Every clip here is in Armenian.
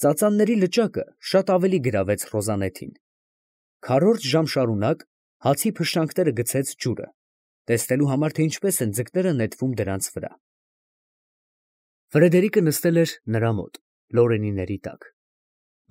Ծածանների լճակը շատ ավելի գրավեց Ռոզանետին։ Քառորդ ժամ շարունակ հացի փշրանքները գցեց ջուրը, տեսնելու համար, թե ինչպես են ձկները նետվում դրանց վրա։ Ֆրեդերիկը նստել էր նրա մոտ, լորենիների տակ,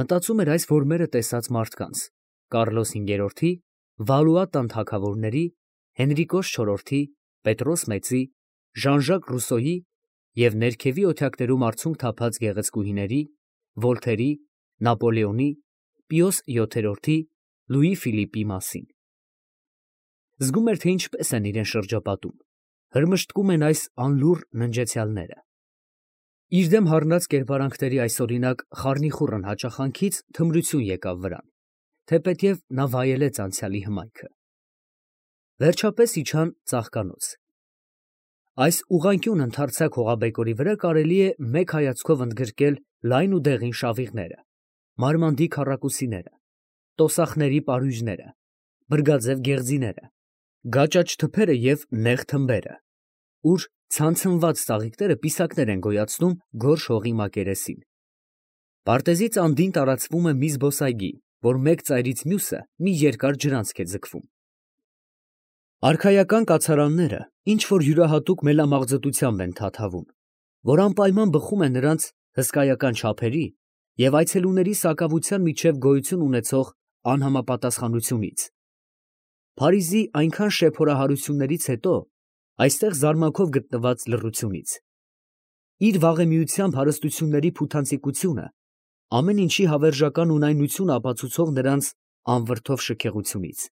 մտածում էր այս որմերը տեսած մարդկանց, Կարլոս V-ի, Վալուա տան թագավորների, Հենրիկոս IV-ի, Պետրոս Մեծի, Ժան-Ժակ Ռուսոյի և ներքևի օթյակներում արցունք թափած գեղեցկուհիների, Վոլթերի, Նապոլեոնի, Պիոս VII-ի, Լուի Ֆիլիպի մասին։ Զգում էր, թե ինչպես են իրեն շրջապատում, հրմշտկում են այս անլուռ ննջեցյալները։ Իր դեմ հառնած կերպարանքների այսօրինակ խառնիխուռն հաճախանքից թմրություն եկավ վրան, թեպետև նա վայելեց անցյալի հմայքը։ Վերջապես իջան ծաղկանոց։ Այս ուղղանկյուն ընդարձակ հողաբեկորի վրա կարելի է մեկ հայացքով ընդգրկել լայն ու դեղին շավիղները, մարմանդի քառակուսիները, տոսախների պարույրները, բրգաձև գեղձիները, գաճաճ թփերը և նեղ թմբերը, ուր ցանցնված ծաղիկները պիսակներ են գոյացնում գորշ հողի մակերեսին։ Պարտեզից անդին տարածվում է մի զբոսայգի, որ մեկ ծայրից մյուսը մի երկար ջրանցք է ձգվում։ Արքայական կացարանները ինչ-որ յուրահատուկ մելամաղձտությամբ են թաթավում, որ անպայման բխում է նրանց հսկայական չափերի և այցելուների սակավության միջև գոյություն ունեցող անհամապատասխանությունից։ Փարիզի այնքան շեփորահարություններից հետո այստեղ զարմանքով գտնված լռությունից։ Իր վաղեմիությամբ հարստությունների փութանցիկությունը ամեն ինչի հավերժական ունայնությունը ապացուցող նրանց անվրդով շքեղությունից։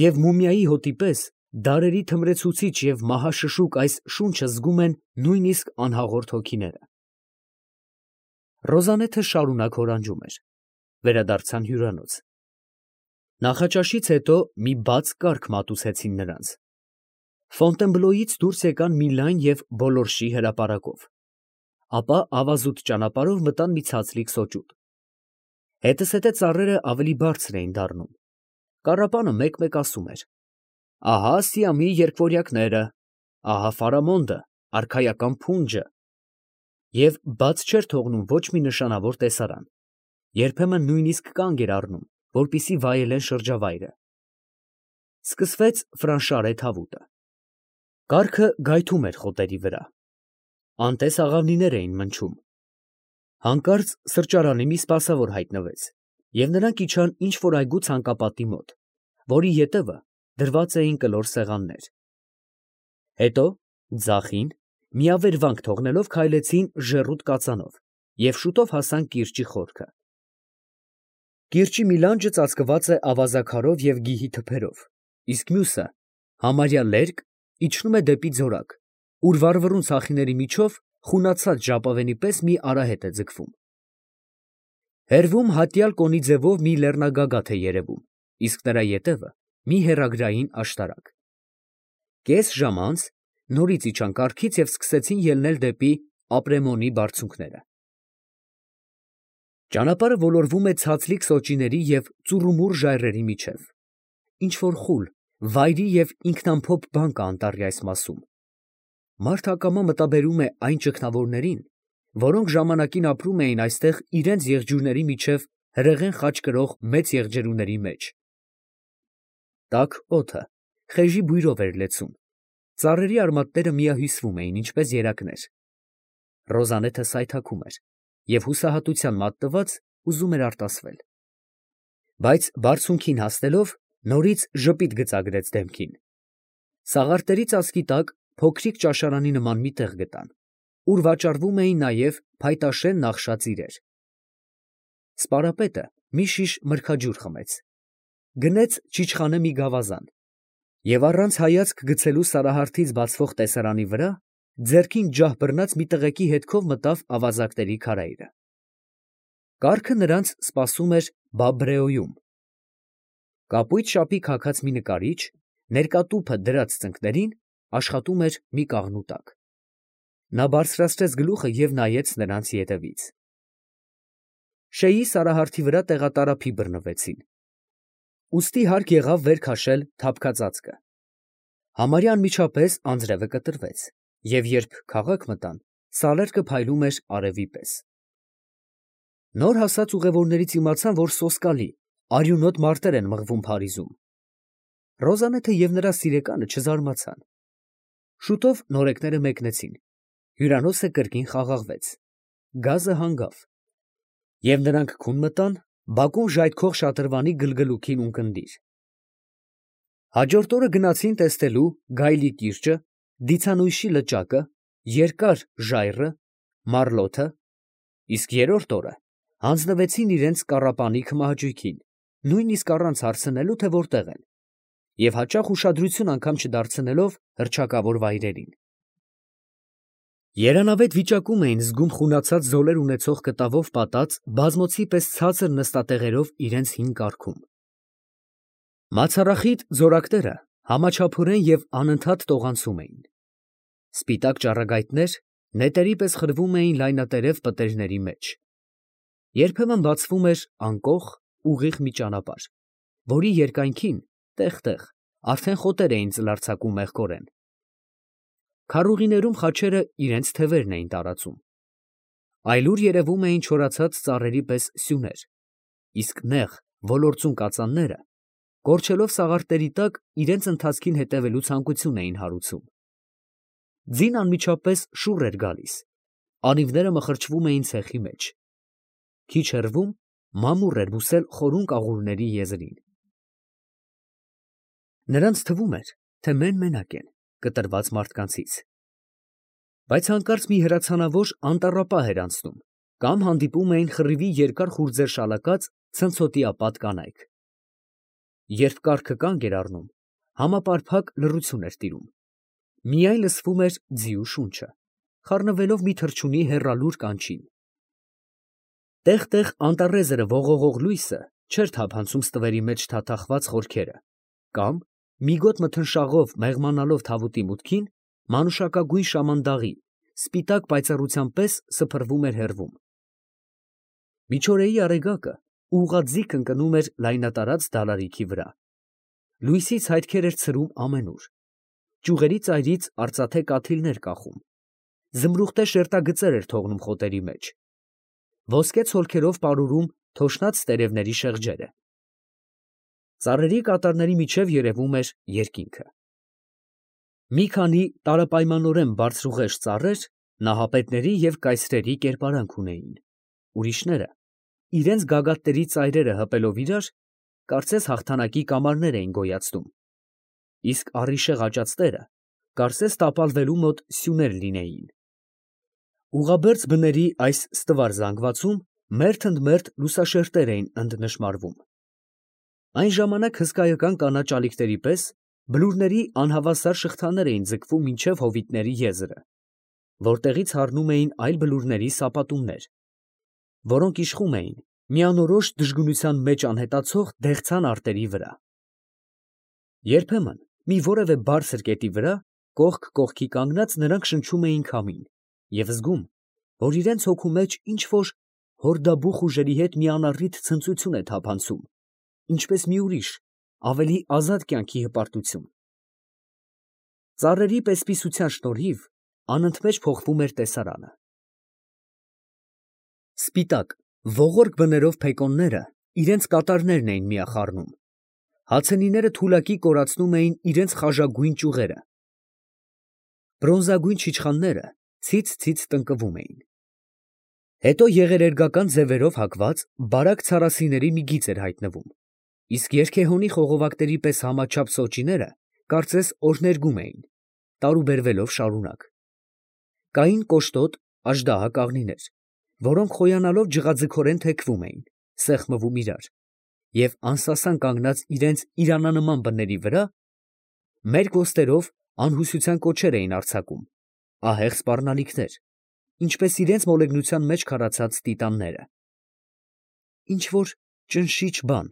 Եվ մումիայի հոտի պես դարերի թմրեցուցիչ և մահաշշուկ այս շունչը զգում են նույնիսկ անհաղորդ հոգիները։ Ռոզանեթը շարունակ հորանջում էր։ Վերադարձան հյուրանոց։ Նախաճաշից հետո մի բաց կառք մատուցեցին նրանց։ Ֆոնտենբլոյից դուրս եկան մի լայն և բոլորշի հրապարակով, ապա ավազուտ ճանապարհով մտան մի ցածլիկ սոճուտ։ Հետզհետե ծառերը ավելի բարձր էին դառնում։ Կառապանը մեկ֊մեկ ասում էր. «Ահա Սիամի երկվորյակները, ահա Ֆարամոնդը, արքայական փունջը» և բաց չէր թողնում ոչ մի նշանավոր տեսարան, երբեմն նույնիսկ կանգ էր առնում, որպեսզի վայելեն շրջավայրը։ Սկսվեց Ֆրանշարե թավուտը։ Կառքը գայթում էր խոտերի վրա։ Անտես աղավնիներ էին մնչում։ Հանկարծ սրճարանի մի սպասավոր հայտնվեց, և նրանք իջան ինչ֊որ այգու ցանկապատի մոտ, որի ետևը դրված էին կլոր սեղաններ։ Հետո ձախին, միավերվանք թողնելով, քայլեցին ժեռուտ կածանով և շուտով հասան կիրճի խորքը։ Կիրճի մի լանջը ծածկված է ավազաքարով և գիհի թփերով, իսկ մյուսը, համարյա լերկ, իջնում է դեպի ձորակ, ուր վառվռուն ցախիների միջով խունացած ժապավենի պես մի արահետ է ձգվում։ Հեռվում հատյալ կոնի ձևով մի լեռնագագաթ է երևում, իսկ նրա ետևը մի հեռագրային աշտարակ։ Կես ժամ անց նորից իջան կառքից և սկսեցին ելնել դեպի Ապրեմոնի բարձունքները։ Ճանապարհը ոլորվում է ցածլիկ սոճիների և ծուռումուռ ժայռերի միջև։ Ինչ֊որ խուլ, վայրի և ինքնամփոփ բան կա անտառի այս մասում։ Մարդ ակամա մտաբերում է այն ճգնավորներին, որոնք ժամանակին ապրում էին այստեղ իրանց եղջյուրների միջև հրեղեն խաչ կրող մեծ եղջերուների մեջ։ Տաք օդը խեժի բույրով էր լեցուն, ծառերի արմատները միահյուսվում էին, ինչպես երակներ։ Ռոզանեթը սայթաքում էր և հուսահատության մատնված ուզում էր արտասվել։ Բայց բարձունքին հասնելով նորից ժպիտ գծագրեց դեմքին։ Սաղարթերի ծածկի տակ փոքրիկ ճաշարանի նման մի տեղ գտան, ուր վաճառվում էին նաև փայտաշեն նախշած իրեր։ Սպարապետը մի շիշ մրգաջուր խմեց, գնեց չիչխանը մի գավազան և առանց հայացք գցելու Սարահարթից բացվող տեսարանի վրա ձեռքին ջահ բռնած մի տղեկի հետքով մտավ ավազակների քարայրը։ Կառքը նրանց սպասում էր Բաբրեոյում։ Կապույտ շապի քաքած մի նկարիչ, ներկա տուփը դրած ծնկներին, աշխատում էր մի կաղնու տակ։ Նա բարձրացրեց գլուխը և նայեց նրանց ետևից։ Շեյի Սարահարթի վրա տեղատարափի բռնվեցին։ Ուստի հարկ եղավ վեր քաշել թափքածածկը։ Համարյա անմիջապես անձրևը կտրվեց, և երբ քաղաք մտան, սալերկը փայլում էր արևի պես։ Նոր հասած ուղևորներից իմացան, որ սոսկալի, արյունոտ մարտեր են մղվում Փարիզում։ Ռոզանեթը և նրա սիրեկանը չզարմացան։ Շուտով նորեկները մեկնեցին, հյուրանոցը կրկին խաղաղվեց, գազը հանգավ, և նրանք քուն մտան բակում ժայթքող շատրվանի գլգլուքին ունկնդիր։ Հաջորդ օրը գնացին տեսնելու Գայլի կիրճը, Դիցանույշի լճակը, երկար ժայռը, Մարլոթը, իսկ երրորդ օրը հանձնվեցին իրենց կառապանի քմահաճույքին, նույնիսկ առանց հարցնելու, թե որտեղ են, և հաճախ ուշադրություն անգամ չդարձնելով հռչակավոր վայրերին։ Երանավետ վիճակում էին զգում խունացած զոլեր ունեցող կտավով պատած բազմոցի պես ցածր նստատեղերով իրենց հին կառքում։ Մացառախիտ ձորակները համաչափորեն և անընդհատ տողանցում էին։ Սպիտակ ճառագայթներ նետերի պես խրվում էին լայնատերև պտերիների մեջ։ Երբեմն բացվում էր անկող, ուղիղ մի ճանապարհ, որի երկայնքին տեղ-տեղ արդեն խոտեր էին ծլարձակում մեղքորեն։ Քարուղիներում խաչերը իրենց թևերն էին տարածում։ Այլուր երևում էին չորացած ծառերի պես սյուներ, իսկ նեղ ոլործուն կածանները, կորչելով սաղարթերի տակ, իրենց ընթացքին հետևելու ցանկություն էին հարուցում։ Ձին անմիջապես շուռ էր գալիս, անիվները մխրճվում էին ցեխի մեջ։ Քիչ հեռվում մամուռ էր բուսել խորուն կաղուրների եզրին։ Նրանց թվում էր, թե մեն֊մենակ են, կտրված մարդկանցից։ Բայց հանկարծ մի հրացանավոր անտառապահ էր անցնում, կամ հանդիպում էին խռիվի երկար խուրձեր շալակած ցնցոտիապատ կանայք։ Երբ կառքը կանգ էր առնում, համապարփակ լռություն էր տիրում։ Միայն լսվում էր ձիու շունչը, խառնվելով մի թռչունի հեռալուր կանչին։ Տեղ֊տեղ անտառեզրը ողողող լույսը չէր թափանցում ստվերի մեջ թաթախված խորքերը, կամ, միգոտ մթնշաղով մեղմանալով թավուտի մուտքին, մանուշակագույն շամանդաղի, սպիտակ պայծառության պես սփռվում էր հեռվում։ Միջօրեի արեգակը ուղղաձիգ ընկնում էր լայնատարած դալարիքի վրա։ Լույսից հայրքեր էր ցրում ամենուր։ Ճյուղերի ծայրից արծաթե կաթիլներ կախում։ Զմրուխտե շերտագծեր էր թողնում խոտերի մեջ։ Ոսկե ցոլքերով պարուրում թոշնած տերևների շեղջերը։ Ծառերի կատարների միջև երևում էր երկինքը։ Մի քանի տարապայմանորեն բարձրուղեշտ ծառեր նահապետների և կայսրերի կերպարանք ունեին։ Ուրիշները, իրենց գագաթների ծայրերը հպելով իրար, կարծես հաղթանակի կամարներ էին գոյացնում, իսկ առիշեղ աճածները կարծես տապալվելու մոտ սյուներ լինեին։ Ուղղաբերձ բների այս ստվար զանգվածում մերթ ընդ մերթ լուսաշերտեր էին ընդնշմարվում։ Այն ժամանակ հսկայական կանաչ ալիքների պես բլուրների անհավասար շղթաներ էին ձգվում մինչև հովիտների եզրը, որտեղից հառնում էին այլ բլուրների սապատումներ, որոնք իշխում էին միանորոշ դժգունության մեջ անհետացող դեղցան արտերի վրա։ Երբեմն մի որևէ բարձր կետի վրա, կողք կողքի կանգնած, նրանք շնչում էին քամին և զգում, որ իրենց հոգու մեջ ինչ֊որ հորդաբուխ ուժերի հետ մի անառիթ ցնծություն է թափանցում, ինչպես մի ուրիշ, ավելի ազատ կյանքի հպարտություն։ Ծառերի պես-պիսության շնորհիվ անընդմեջ փոխվում էր տեսարանը։ Սպիտակ, ողորկ բներով փեկոնները իրենց կատարներն էին միախառնում։ Հացենիները թուլակի կորացնում էին իրենց խաժագույն ճյուղերը։ Բրոնզագույն չիչխանները ցից֊ցից տնկվում էին։ Հետո եղերերգական ձևերով հագված բարակ ցարասիների մի գիծ էր հայտնվում, իսկ երգեհոնի խողովակների պես համաչափ սոճիները կարծես օրհներգում էին, տարուբերվելով շարունակ։ Կային կոշտոտ, աժդահա կաղնիներ, որոնք խոյանալով ջղաձգորեն թեքվում էին, սեղմվում իրար, և անսասան կանգնած իրենց իրանանման բների վրա, մերկ ոստերով անհուսության կոչեր էին արձակում, ահեղ սպառնալիքներ, ինչպես իրենց մոլեգնության մեջ քարացած տիտանները։ Ինչ֊որ ճնշիչ բան,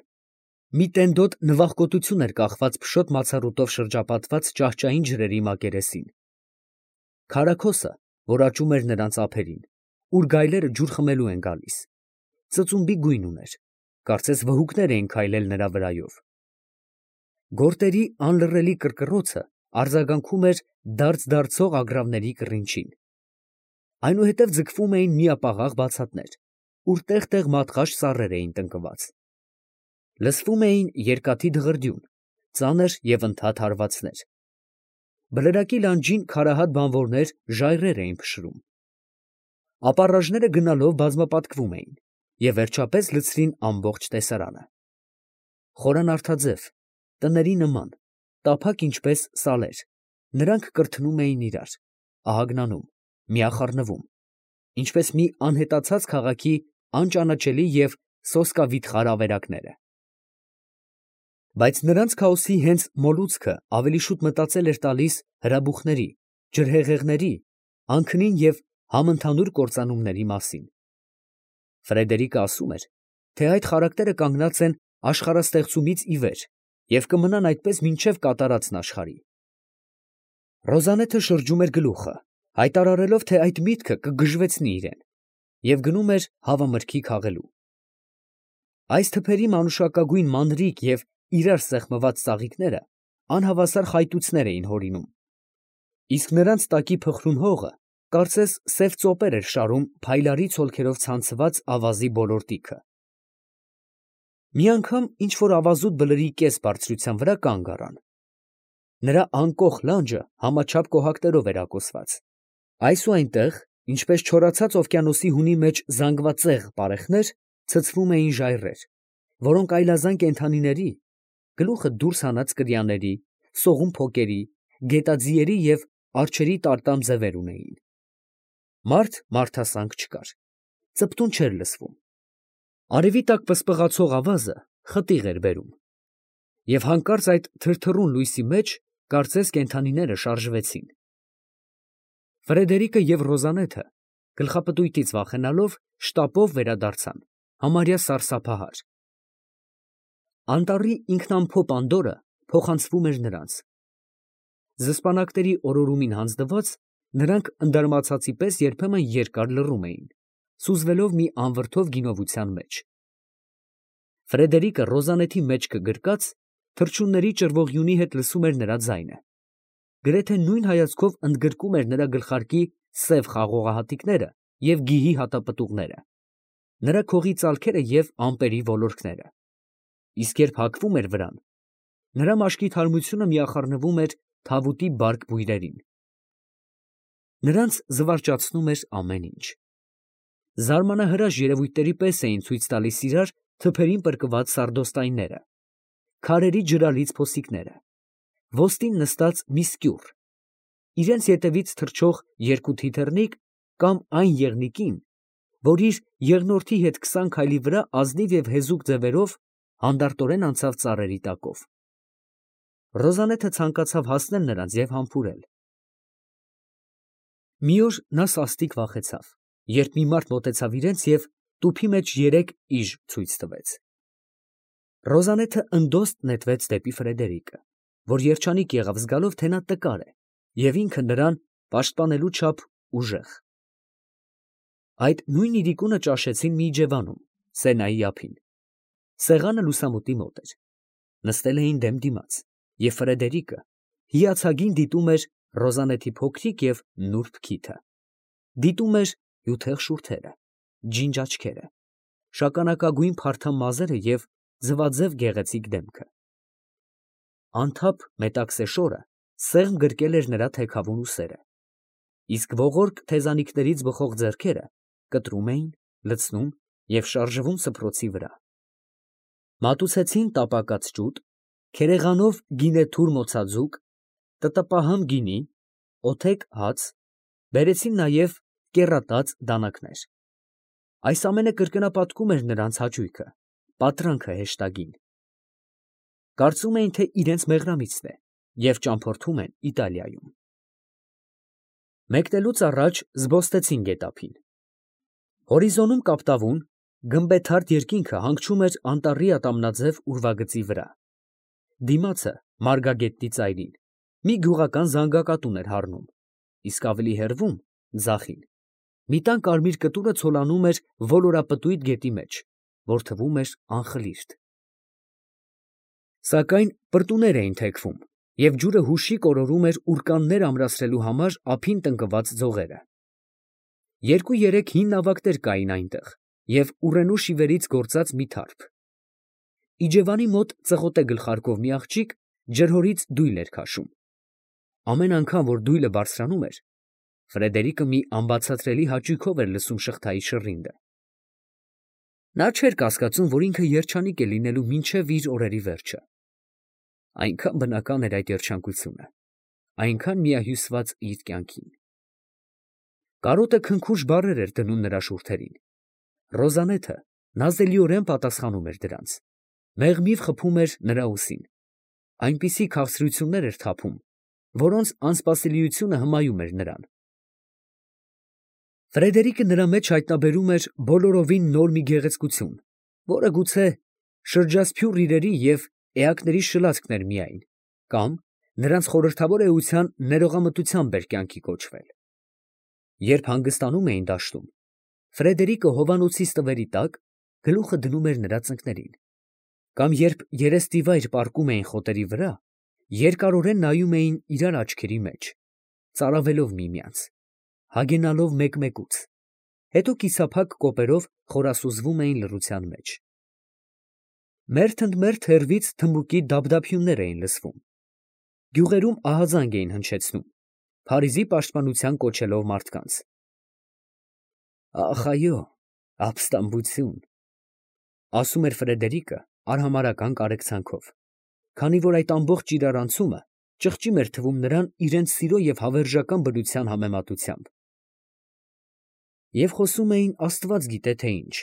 մի տենդոտ նվախկոտություն էր կախված փշոտ մացառուտով շրջապատված ճահճային ջրերի մակերեսին։ Քարաքոսը, որ աճում էր նրանց ափերին, ուր գայլերը ջուր խմելու են գալիս, ծծումբի գույն ուներ, կարծես վհուկներ էին քայլել նրա վրայով։ Գորտերի անլռելի կռկռոցը արձագանքում էր դարձ֊դարձող ագռավների կռինչին։ Այնուհետև ձգվում էին միապաղաղ բացատներ, ուր տեղ-տեղ մատղաշ ծառեր էին տնկված։ Լսվում էին երկաթի դղրդյուն, ծանր և ընդհատ հարվածներ։ Բլրակի լանջին քարահատ բանվորներ ժայռեր էին փշրում։ Ապառաժները գնալով բազմապատկվում էին և վերջապես լցրին ամբողջ տեսարանը։ Խորանարդաձև, տների նման, տափակ ինչպես սալեր, նրանք կրթնում էին իրար, ահագնանում, միախառնվում, ինչպես մի անհետացած քաղաքի անճանաչելի և սոսկավիթխար ավերակները։ Բայց նրանց քաոսի հենց մոլուցքը ավելի շուտ մտածել էր տալիս հրաբուխների, ջրհեղեղների, անքնին և համընդհանուր կործանումների մասին։ Ֆրեդերիկը ասում էր, թե այդ խարակները կանգնած են աշխարհաստեղծումից ի վեր և կմնան այդպես մինչև կատարածն աշխարհի։ Ռոզանեթը շրջում էր գլուխը, հայտարարելով, թե այդ միտքը կգժվեցնի իրեն, և գնում էր հավամրգի քաղելու։ Այս թփերի մանուշակագույն մանրիկ և իրար սեղմված ծաղիկները անհավասար խայտույցներ էին հորինում, իսկ նրանց տակի փխրուն հողը կարծես սև ծոպեր էր շարում փայլարի ցոլքերով ցանցված ավազի բոլոր տիքը։ Մի անգամ ինչ֊որ ավազուտ բլրի կես բարձրության վրա կանգ առան։ Նրա անկոխ լանջը համաչափ կոհակներով էր ակոսված։ Այս ու այնտեղ, ինչպես չորացած օվկիանոսի հունի մեջ զանգվածեղ պարեխներ, ցցվում էին ժայռեր, որոնք այլազան կենդանիների, գլուխը դուրս հանած կրյաների, սողուն փոկերի, գետաձիերի և արջերի տարտամ ձևեր ունեին։ Մարդ մարդասանք չկար, ծպտուն չէր լսվում։ Արևի տակ պսպղացող ավազը խտիղ էր բերում, և հանկարծ այդ թրթռուն լույսի մեջ կարծես կենդանիները շարժվեցին։ Ֆրեդերիկը և Ռոզանեթը, գլխապտույտից վախենալով, շտապով վերադարձան, համարյա սարսափահար։ Անտառի ինքնամփոփ անդորրը փոխանցվում էր նրանց։ Զսպանակների օրորումին հանձնված, նրանք ընդարմացածի պես երբեմն երկար լռում էին, սուզվելով մի անվրդով գինովության մեջ։ Ֆրեդերիկը Ռոզանեթի մեջքը գրկած, թռչունների ճռվողյունի հետ լսում էր նրա ձայնը, գրեթե նույն հայացքով ընդգրկում էր նրա գլխարկի սև խաղողահատիկները և գիհի հատապտուղները, նրա քողի ծալքերը և ամպերի ոլորքները, իսկ երբ հագվում էր վրան, նրա մաշկի թարմությունը միախառնվում էր թավուտի բարակ բույրերին։ Նրանց զվարճացնում էր ամեն ինչ։ Զարմանահրաշ երևույթների պես էին ցույց տալիս իրար թփերին պրկված սարդոստայնները, քարերի ջրալից փոսիկները, ոստին նստած մի սկյուռ, իրենց ետևից թռչող երկու թիթեռնիկ կամ այն եղնիկին, որ իր եղնորդի հետ 20 քայլի վրա ազնիվ և հեզուկ ձևերով հանդարտորեն անցավ ծառերի տակով։ Ռոզանեթը ցանկացավ հասնել նրանց և համբուրել։ Մի օր նա սաստիկ վախեցավ, երբ մի մարդ մոտեցավ իրենց և տուփի մեջ 3 իժ ցույց տվեց։ Ռոզանեթը ընդոստ նետվեց դեպի Ֆրեդերիկը, որ երջանիկ եղավ զգալով, թե նա տկար է, և ինքը նրան պաշտպանելու չափ ուժեղ։ Այդ նույն իրիկունը ճաշեցին մի իջևանում, Սենայի ափին։ Սեղանը լուսամուտի մոտ էր։ Նստել էին դեմ դիմաց, և Ֆրեդերիկը հիացագին դիտում էր Ռոզանեթի փոքրիկ և նուրբ քիթը, դիտում էր հյութեղ շուրթերը, ջինջ աչքերը, շագանակագույն փարթամ մազերը և ձվաձև գեղեցիկ դեմքը։ Անթափ մետաքսե շորը սեղմ գրկել էր նրա թեքավուն ուսերը, իսկ ողորկ թեզանիքներից բխող ձեռքերը կտրում էին, լցնում և շարժվում սփռոցի վրա։ Մատուցեցին տապակած ջուտ, քերեղանով գինեթուր մոցաձուկ, տտպահամ գինի, օթեք հաց, բերեցին նաև կեռատած դանակներ։ Այս ամենը կրկնապատկում էր նրանց հաճույքը, պատրանքը հեշտագին։ Կարծում էին, թե իրենց մեղրամիցն է և ճամփորդում են Իտալիայում։ Մեկնելուց առաջ զբոստեցին գետափին։ Հորիզոնում կապտավուն, գմբեթարդ երկինքը հանգչում էր անտառի ատամնաձև ուրվագծի վրա։ Դիմացը մարգագետնի ծայրին մի գյուղական զանգակատուն էր հառնում, իսկ ավելի հեռվում, ձախին, մի տան կարմիր կտուրը ցոլանում էր ոլորապտույտ գետի մեջ, որ թվում էր անխլիրտ։ Սակայն պրտուներ էին թեքվում, և ջուրը հուշիկ օրորում էր ուռկաններ ամրացնելու համար ափին տնկված ձողերը։ 2-3 հին նավակներ կային այնտեղ, և ուռենու շիվերից գործած մի թարփ։ Իջևանի մոտ ծղոտե գլխարկով մի աղջիկ ջրհորից դույլ էր քաշում։ Ամեն անգամ, որ դույլը բարձրանում էր, Ֆրեդերիկը մի անբացատրելի հաճույքով էր լսում շղթայի շռինգը։ Նա չէր կասկածում, որ ինքը երջանիկ է լինելու մինչև իր օրերի վերջը։ Այնքան բնական էր այդ երջանկությունը, այնքան միահյուսված իր կյանքին։ Կարոտը քնքուշ բառեր էր դնում նրա շուրթերին։ Ռոզանեթը նազելիորեն պատասխանում էր դրանց, մեղմիվ խփում էր նրա ուսին, այնպիսի քաղցրություններ էր թափում, որոնց անսպասելիությունը հմայում էր նրան։ Ֆրեդերիկը նրա մեջ հայտնաբերում էր բոլորովին նոր մի գեղեցկություն, որը գուցե շրջասփյուռ իրերի և էակների շլացքն էր միայն, կամ նրանց խորհրդավոր էության ներողամտությամբ էր կյանքի կոչվել։ Երբ հանգստանում էին դաշտում, Ֆրեդերիկը հովանոցի ստվերի տակ գլուխը դնում էր նրա ծնկներին, կամ երբ երեստիվայր պառկում էին խոտերի վրա, երկարորեն նայում էին իրար աչքերի մեջ, ծարավելով միմյանց, հագենալով մեկմեկուց, հետո կիսափակ կոպերով խորասուզվում էին լռության մեջ։ Մերթ ընդ մերթ հեռվից թմբուկի դափդափյուններ էին լսվում։ Գյուղերում ահազանգ էին հնչեցնում, Փարիզի պաշտպանության կոչելով մարդկանց։ Ախ, այո, ապստամբություն, ասում էր Ֆրեդերիկը արհամարհական կարեկցանքով, քանի որ այդ ամբողջ իրարանցումը ճղճիմ էր թվում նրան իրենց սիրո և հավերժական բնության համեմատությամբ։ Եվ խոսում էին աստված գիտե թե ինչ,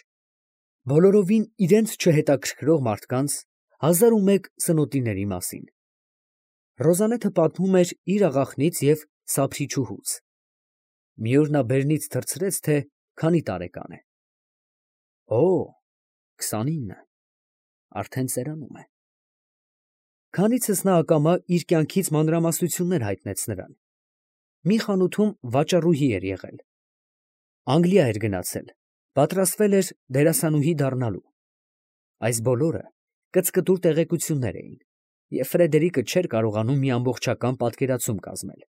բոլորովին իրենց չհետաքրքրող մարդկանց 1001 սնոտիների մասին։ Ռոզանեթը պատմում էր իր աղախնից և սափրիչուհուց։ Մի օր նա բերնից թռցրեց, թե քանի տարեկան է։ Օ, 29, արդեն ծերանում է։ Քանիցս նա ակամա իր կյանքից մանրամասնություններ հայտնեց նրան։ Մի խանութում վաճառուհի էր եղել։ Անգլիա էր գնացել, պատրաստվել էր դերասանուհի դառնալու։ Այս բոլորը կծկտուր տեղեկություններ էին, և Ֆրեդերիկը չէր կարողանում մի ամբողջական պատկերացում կազմել։